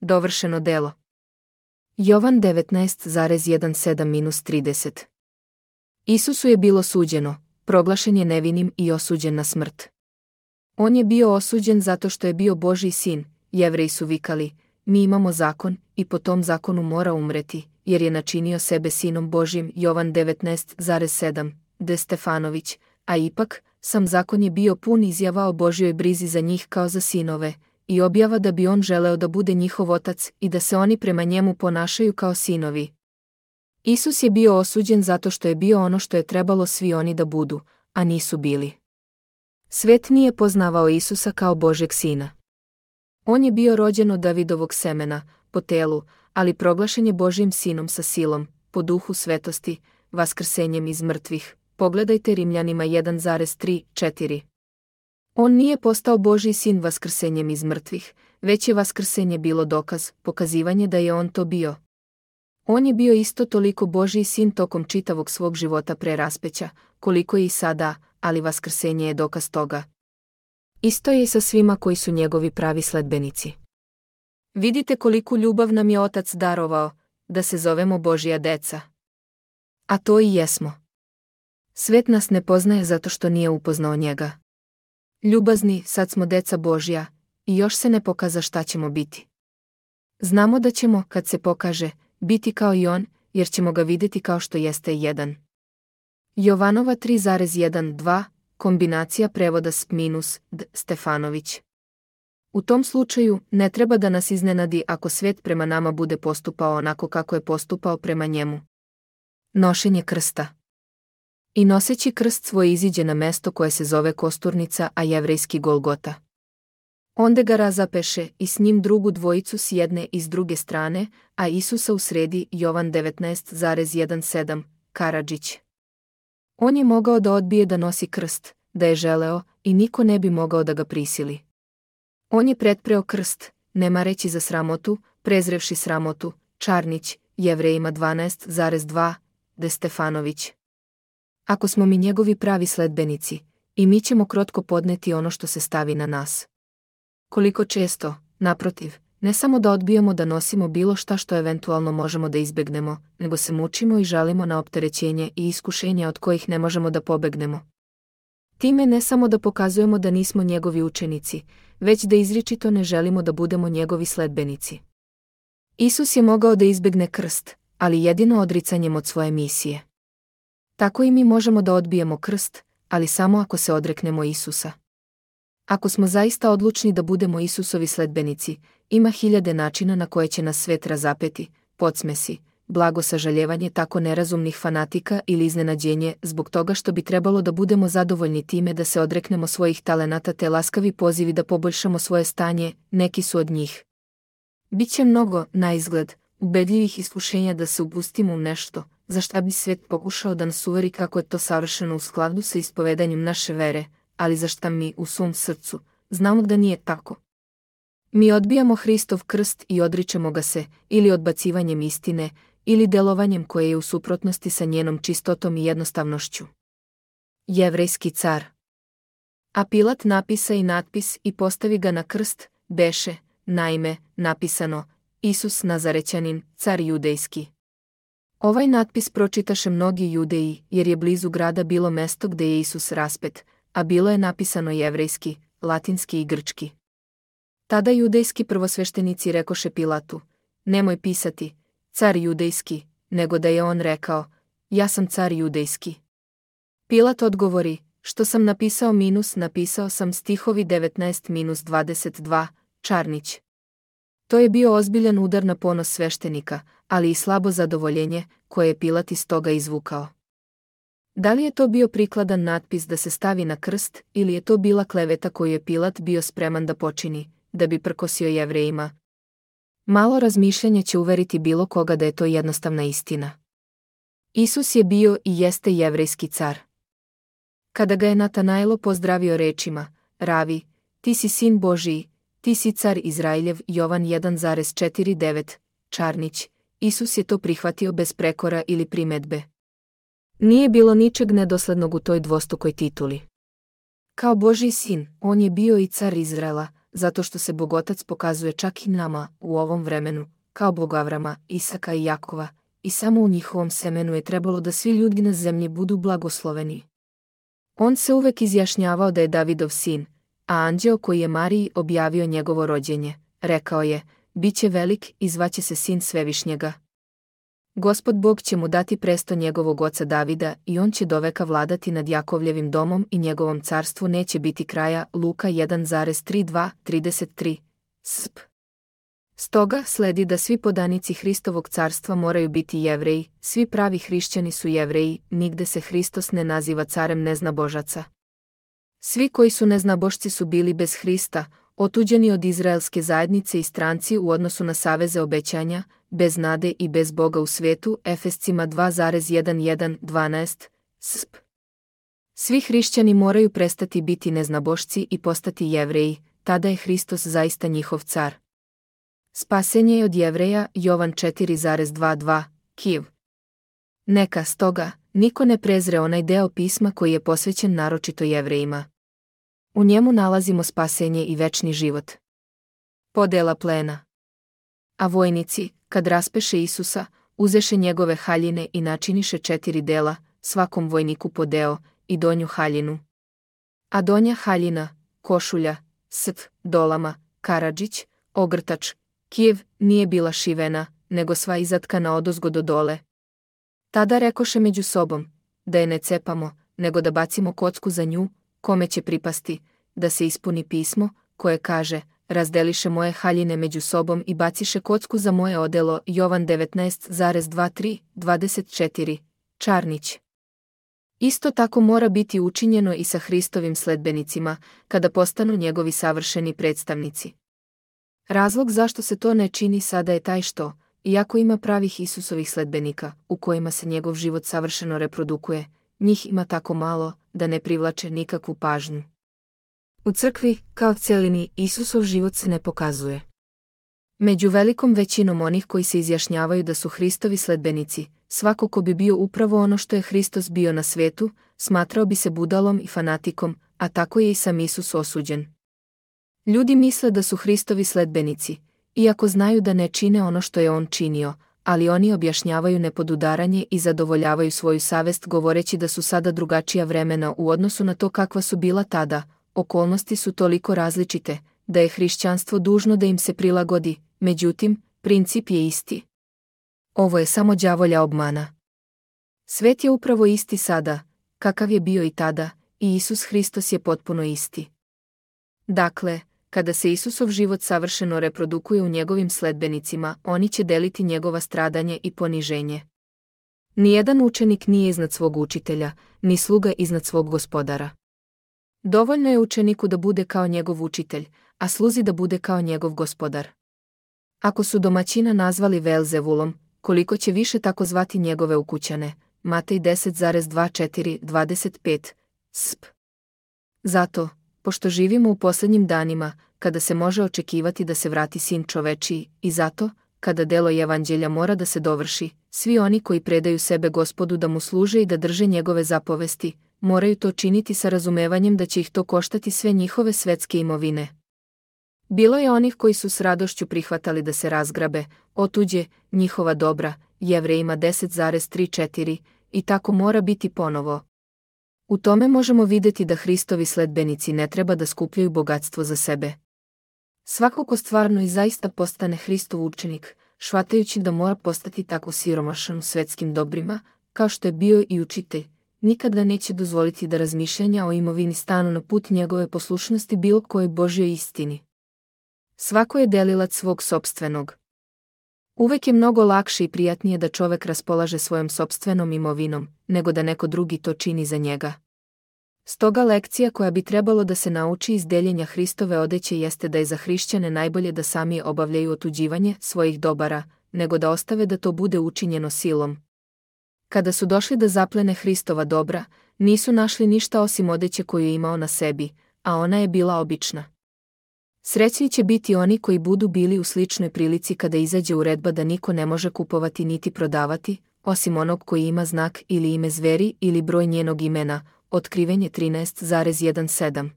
Dovršeno delo. Jovan 19,17-30. Isusu je bilo suđeno, proglašen je nevinim i osuđen na smrt. On je bio osuđen zato što je bio Božji sin. Jevreji su vikali, mi imamo zakon i po tom zakonu mora umreti, jer je načinio sebe sinom Božjim. Jovan 19,7. De Stefanović, a ipak, sam zakon je bio pun izjava o Božjoj brizi za njih kao za sinove, i objava da bi on želeo da bude njihov otac i da se oni prema njemu ponašaju kao sinovi. Isus je bio osuđen zato što je bio ono što je trebalo svi oni da budu, a nisu bili. Svet nije poznavao Isusa kao Božjeg sina. On je bio rođen od Davidovog semena, po telu, ali proglašen je Božjim sinom sa silom, po duhu svetosti, vaskrsenjem iz mrtvih. Pogledajte Rimljanima 1,3-4. On nije postao Božji sin vaskrsenjem iz mrtvih, već je vaskrsenje bilo dokaz, pokazivanje da je on to bio. On je bio isto toliko Božji sin tokom čitavog svog života pre raspeća, koliko je i sada, ali vaskrsenje je dokaz toga. Isto je i sa svima koji su njegovi pravi sledbenici. Vidite koliku ljubav nam je Otac darovao, da se zovemo Božja deca. A to i jesmo. Svet nas ne poznaje zato što nije upoznao njega. Ljubazni, sad smo deca Božja, i još se ne pokaza šta ćemo biti. Znamo da ćemo, kad se pokaže, biti kao i on, jer ćemo ga vidjeti kao što jeste jedan. Jovanova 3,1-2, kombinacija prevoda s minus, D. Stefanović. U tom slučaju, ne treba da nas iznenadi ako svet prema nama bude postupao onako kako je postupao prema njemu. Nošenje krsta. I noseći krst svoj iziđe na mesto koje se zove Kosturnica, a jevrejski Golgota. Onde ga razapeše i s njim drugu dvojicu s jedne i s druge strane, a Isusa u sredi. Jovan 19,17, Karadžić. On je mogao da odbije da nosi krst, da je želeo, i niko ne bi mogao da ga prisili. On je pretpreo krst, ne mareći za sramotu, prezrevši sramotu. Čarnić, Jevrejima 12,2, De Stefanović. Ako smo mi njegovi pravi sledbenici, i mi ćemo krotko podneti ono što se stavi na nas. Koliko često, naprotiv, ne samo da odbijamo da nosimo bilo šta što eventualno možemo da izbegnemo, nego se mučimo i žalimo na opterećenje i iskušenja od kojih ne možemo da pobegnemo. Time ne samo da pokazujemo da nismo njegovi učenici, već da izričito ne želimo da budemo njegovi sledbenici. Isus je mogao da izbegne krst, ali jedino odricanjem od svoje misije. Tako i mi možemo da odbijemo krst, ali samo ako se odreknemo Isusa. Ako smo zaista odlučni da budemo Isusovi sledbenici, ima hiljade načina na koje će nas svet razapeti, podsmesi, blago sažaljevanje tako nerazumnih fanatika ili iznenađenje zbog toga što bi trebalo da budemo zadovoljni time da se odreknemo svojih talenata te laskavi pozivi da poboljšamo svoje stanje, neki su od njih. Biće mnogo, na izgled, ubedljivih iskušenja da se upustimo u nešto, za šta bi svet pokušao da nas uveri kako je to savršeno u skladu sa ispovedanjem naše vere, ali za šta mi u svom srcu znamo da nije tako. Mi odbijamo Hristov krst i odričemo ga se, ili odbacivanjem istine, ili delovanjem koje je u suprotnosti sa njenom čistotom i jednostavnošću. Jevrejski car. A Pilat napisa i natpis i postavi ga na krst, beše, naime, napisano, Isus Nazarećanin, car judejski. Ovaj natpis pročitaše mnogi Judeji, jer je blizu grada bilo mesto gde je Isus raspet, a bilo je napisano jevrejski, latinski i grčki. Tada judejski prvosveštenici rekoše Pilatu, nemoj pisati, car judejski, nego da je on rekao, ja sam car judejski. Pilat odgovori, što sam napisao sam stihovi 19-22, Čarnić. To je bio ozbiljan udar na ponos sveštenika, ali i slabo zadovoljenje, koje je Pilat iz toga izvukao. Da li je to bio prikladan natpis da se stavi na krst, ili je to bila kleveta koju je Pilat bio spreman da počini, da bi prkosio Jevrejima? Malo razmišljanje će uveriti bilo koga da je to jednostavna istina. Isus je bio i jeste jevrejski car. Kada ga je Natanaelo pozdravio rečima, Ravi, ti si sin Božiji, ti si car Izrailjev, Jovan 1,49, Čarnić, Isus je to prihvatio bez prekora ili primedbe. Nije bilo ničeg nedoslednog u toj dvostrukoj tituli. Kao Božji sin, on je bio i car Izraela, zato što se Bogotac pokazuje čak i nama u ovom vremenu, kao Bog Avrama, Isaka i Jakova, i samo u njihovom semenu je trebalo da svi ljudi na zemlji budu blagosloveni. On se uvek izjašnjavao da je Davidov sin, a anđeo koji je Mariji objavio njegovo rođenje, rekao je, biće velik i zvaće se sin Svevišnjega. Gospod Bog će mu dati presto njegovog oca Davida i on će doveka vladati nad Jakovljevim domom i njegovom carstvu neće biti kraja. Luka 1,32-33. Sp. Stoga sledi da svi podanici Hristovog carstva moraju biti Jevreji, svi pravi hrišćani su Jevreji, nigde se Hristos ne naziva carem neznabožaca. Svi koji su neznabošci su bili bez Hrista, otuđeni od izraelske zajednice i stranci u odnosu na saveze obećanja, bez nade i bez Boga u svetu. Efescima 2,11-12. Sp. Svi hrišćani moraju prestati biti neznabošci i postati Jevreji, tada je Hristos zaista njihov car. Spasenje je od Jevreja. Jovan 4,22. Kiv. Neka stoga niko ne prezre onaj deo pisma koji je posvećen naročito Jevrejima. U njemu nalazimo spasenje i večni život. Podela plena. A vojnici, kad raspeše Isusa, uzeše njegove haljine i načiniše 4 dela, svakom vojniku po deo, i donju haljinu. A donja haljina, košulja, dolama, karadžić, ogrtač, kijev, nije bila šivena, nego sva izatkana odozgo do dole. Tada rekoše među sobom, da je ne cepamo, nego da bacimo kocku za nju, kome će pripasti, da se ispuni pismo, koje kaže, razdeliše moje haljine među sobom i baciše kocku za moje odelo. Jovan 19,23-24. Čarnić. Isto tako mora biti učinjeno i sa Hristovim sledbenicima, kada postanu njegovi savršeni predstavnici. Razlog zašto se to ne čini sada je taj što, iako ima pravih Isusovih sledbenika, u kojima se njegov život savršeno reprodukuje, njih ima tako malo, da ne privlače nikakvu pažnju. U crkvi, kao celini, Isusov život se ne pokazuje. Među velikom većinom onih koji se izjašnjavaju da su Hristovi sledbenici, svako ko bi bio upravo ono što je Hristos bio na svetu, smatrao bi se budalom i fanatikom, a tako je i sam Isus osuđen. Ljudi misle da su Hristovi sledbenici, iako znaju da ne čine ono što je on činio, ali oni objašnjavaju nepodudaranje i zadovoljavaju svoju savest govoreći da su sada drugačija vremena u odnosu na to kakva su bila tada. Okolnosti su toliko različite, da je hrišćanstvo dužno da im se prilagodi, međutim, princip je isti. Ovo je samo đavolja obmana. Svet je upravo isti sada, kakav je bio i tada, i Isus Hristos je potpuno isti. Dakle, kada se Isusov život savršeno reprodukuje u njegovim sledbenicima, oni će deliti njegova stradanje i poniženje. Nijedan učenik nije iznad svog učitelja, ni sluga iznad svog gospodara. Dovoljno je učeniku da bude kao njegov učitelj, a sluzi da bude kao njegov gospodar. Ako su domaćina nazvali Velzevulom, koliko će više tako zvati njegove ukućane. Matej 10,24-25. Sp. Zato, pošto živimo u posljednjim danima, kada se može očekivati da se vrati Sin čovečiji, i zato, kada delo evanđelja mora da se dovrši, svi oni koji predaju sebe Gospodu da mu služe i da drže njegove zapovesti, moraju to činiti sa razumevanjem da će ih to koštati sve njihove svetske imovine. Bilo je onih koji su s radošću prihvatali da se razgrabe, otuđe, njihova dobra, Jevrejima 10,34, i tako mora biti ponovo. U tome možemo vidjeti da Hristovi sledbenici ne treba da skupljaju bogatstvo za sebe. Svako ko stvarno i zaista postane Hristov učenik, shvatajući da mora postati tako siromašan u svetskim dobrima, kao što je bio i učitelj, nikada neće dozvoliti da razmišljanja o imovini stanu na put njegove poslušnosti bilo kojoj Božjoj istini. Svako je delilac svog sopstvenog. Uvek je mnogo lakše i prijatnije da čovek raspolaže svojom sopstvenom imovinom, nego da neko drugi to čini za njega. Stoga lekcija koja bi trebalo da se nauči iz deljenja Hristove odeće jeste da je za hrišćane najbolje da sami obavljaju otuđivanje svojih dobara, nego da ostave da to bude učinjeno silom. Kada su došli da zaplene Hristova dobra, nisu našli ništa osim odeće koju je imao na sebi, a ona je bila obična. Srećni će biti oni koji budu bili u sličnoj prilici kada izađe uredba da niko ne može kupovati niti prodavati, osim onog koji ima znak ili ime zveri ili broj njenog imena, Otkrivenje 13,17.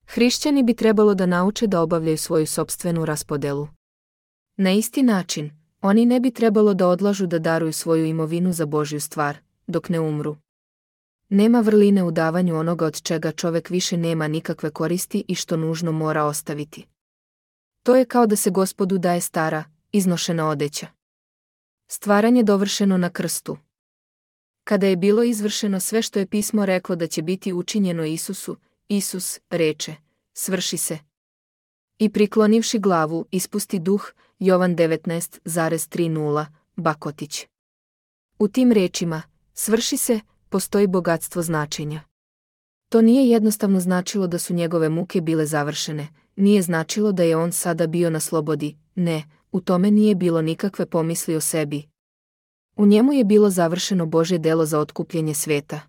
Hrišćani bi trebalo da nauče da obavljaju svoju sopstvenu raspodelu. Na isti način, oni ne bi trebalo da odlažu da daruju svoju imovinu za Božju stvar, dok ne umru. Nema vrline u davanju onoga od čega čovek više nema nikakve koristi i što nužno mora ostaviti. To je kao da se Gospodu daje stara, iznošena odeća. Stvaranje dovršeno na krstu. Kada je bilo izvršeno sve što je pismo reklo da će biti učinjeno Isusu, Isus reče, svrši se. I priklonivši glavu, ispusti duh, Jovan 19,30, Bakotić. U tim rečima, svrši se, postoji bogatstvo značenja. To nije jednostavno značilo da su njegove muke bile završene, nije značilo da je on sada bio na slobodi, ne, u tome nije bilo nikakve pomisli o sebi. U njemu je bilo završeno Božje delo za otkupljenje sveta.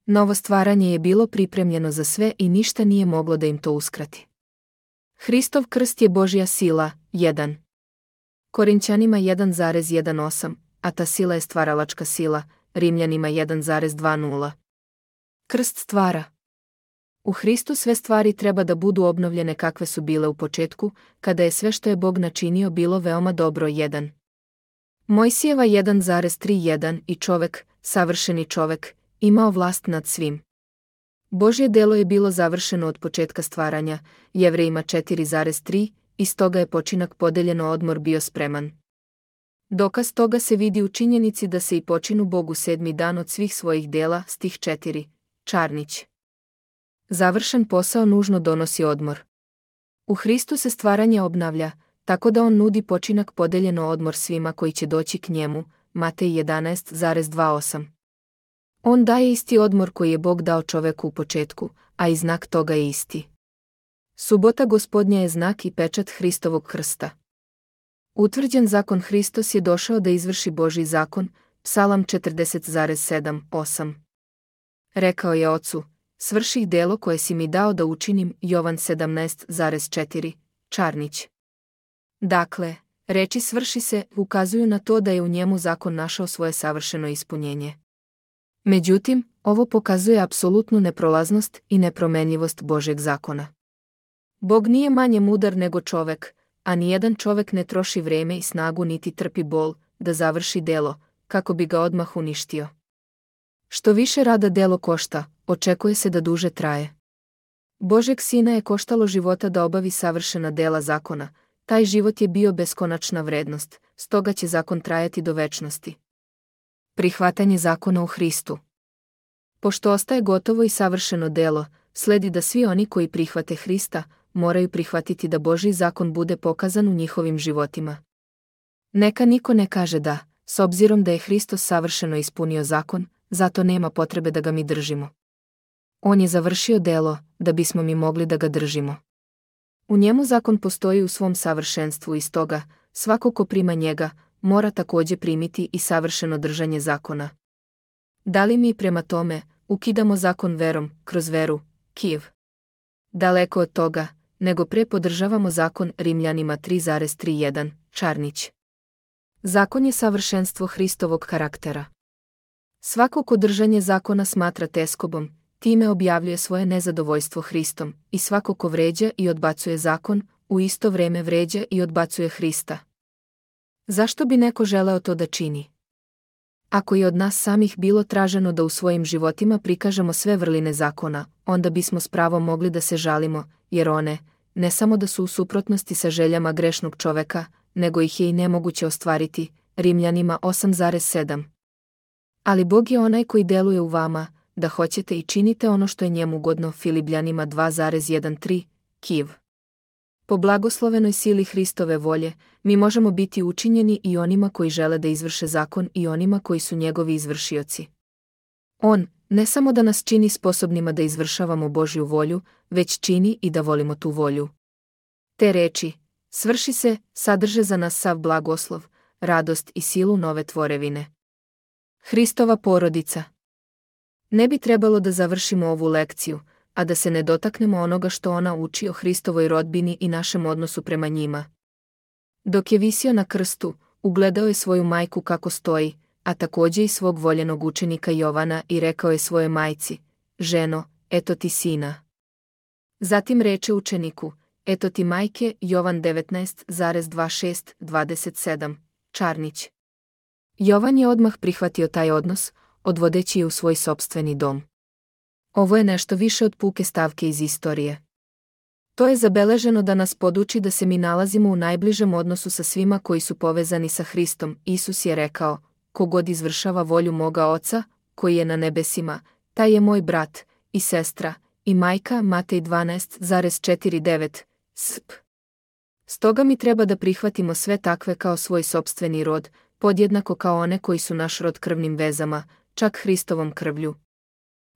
Novo stvaranje je bilo pripremljeno za sve i ništa nije moglo da im to uskrati. Hristov krst je Božja sila, 1. Korinćanima 1,18, a ta sila je stvaralačka sila, Rimljanima 1,20. Krst stvara. U Hristu sve stvari treba da budu obnovljene kakve su bile u početku, kada je sve što je Bog načinio bilo veoma dobro, 1. Mojsijeva 1,31 i čovek, savršeni čovek, imao vlast nad svim. Božje delo je bilo završeno od početka stvaranja, Jevrejima 4,3, i stoga je počinak podeljeno, odmor bio spreman. Dokaz toga se vidi u činjenici da se i počinu Bogu 7. dan od svih svojih dela, stih 4, Čarnić. Završen posao nužno donosi odmor. U Hristu se stvaranje obnavlja, tako da on nudi počinak podeljeno, odmor svima koji će doći k njemu, Matej 11,28. On daje isti odmor koji je Bog dao čoveku u početku, a i znak toga je isti. Subota Gospodnja je znak i pečat Hristovog krsta. Utvrđen zakon Hristos je došao da izvrši Božji zakon, Psalam 40,7-8. Rekao je Ocu, svrših delo koje si mi dao da učinim, Jovan 17,4, Čarnić. Dakle, reči svrši se ukazuju na to da je u njemu zakon našao svoje savršeno ispunjenje. Međutim, ovo pokazuje apsolutnu neprolaznost i nepromenljivost Božjeg zakona. Bog nije manje mudar nego čovek, a nijedan čovek ne troši vreme i snagu niti trpi bol da završi delo, kako bi ga odmah uništio. Što više rada delo košta, očekuje se da duže traje. Božjeg Sina je koštalo života da obavi savršena dela zakona, taj život je bio beskonačna vrednost, stoga će zakon trajati do večnosti. Prihvatanje zakona u Hristu. Pošto ostaje gotovo i savršeno delo, sledi da svi oni koji prihvate Hrista, moraju prihvatiti da Božji zakon bude pokazan u njihovim životima. Neka niko ne kaže da, s obzirom da je Hristos savršeno ispunio zakon, zato nema potrebe da ga mi držimo. On je završio delo, da bismo mi mogli da ga držimo. U njemu zakon postoji u svom savršenstvu i stoga, svako ko prima njega, mora također primiti i savršeno držanje zakona. Da li mi prema tome ukidamo zakon verom, kroz veru, Kijev? Daleko od toga, nego pre podržavamo zakon, Rimljanima 3,31, Čarnić. Zakon je savršenstvo Hristovog karaktera. Svako ko držanje zakona smatra teskobom, time objavljuje svoje nezadovoljstvo Hristom, i svako ko vređa i odbacuje zakon, u isto vreme vređa i odbacuje Hrista. Zašto bi neko želeo to da čini? Ako je od nas samih bilo traženo da u svojim životima prikažemo sve vrline zakona, onda bismo s pravom mogli da se žalimo, jer one, ne samo da su u suprotnosti sa željama grešnog čoveka, nego ih je i nemoguće ostvariti, Rimljanima 8,7. Ali Bog je onaj koji deluje u vama, da hoćete i činite ono što je njemu ugodno, Filipljanima 2,13, Kijev. Po blagoslovenoj sili Hristove volje, mi možemo biti učinjeni i onima koji žele da izvrše zakon i onima koji su njegovi izvršioci. On, ne samo da nas čini sposobnima da izvršavamo Božju volju, već čini i da volimo tu volju. Te reči, svrši se, sadrže za nas sav blagoslov, radost i silu nove tvorevine. Hristova porodica. Ne bi trebalo da završimo ovu lekciju, a da se ne dotaknemo onoga što ona uči o Hristovoj rodbini i našem odnosu prema njima. Dok je visio na krstu, ugledao je svoju majku kako stoji, a također i svog voljenog učenika Jovana i rekao je svojoj majci, ženo, eto ti sina. Zatim reče učeniku, eto ti majke, Jovan 19,26-27, Čarnić. Jovan je odmah prihvatio taj odnos, odvodeći je u svoj sopstveni dom. Ovo je nešto više od puke stavke iz istorije. To je zabeleženo da nas poduči da se mi nalazimo u najbližem odnosu sa svima koji su povezani sa Hristom. Isus je rekao, kogod izvršava volju moga Oca, koji je na nebesima, taj je moj brat i sestra i majka. Matej 12,49 sp. Stoga mi treba da prihvatimo sve takve kao svoj sopstveni rod, podjednako kao one koji su naš rod krvnim vezama, čak Hristovom krvlju.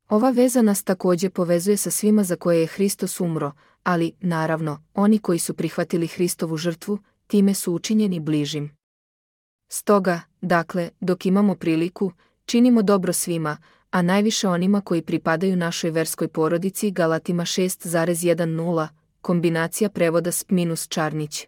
Ova veza nas također povezuje sa svima za koje je Hristos umro, ali, naravno, oni koji su prihvatili Hristovu žrtvu, time su učinjeni bližim. Stoga, dakle, dok imamo priliku, činimo dobro svima, a najviše onima koji pripadaju našoj verskoj porodici. Galatima 6,10, kombinacija prevoda sp. Čarnić.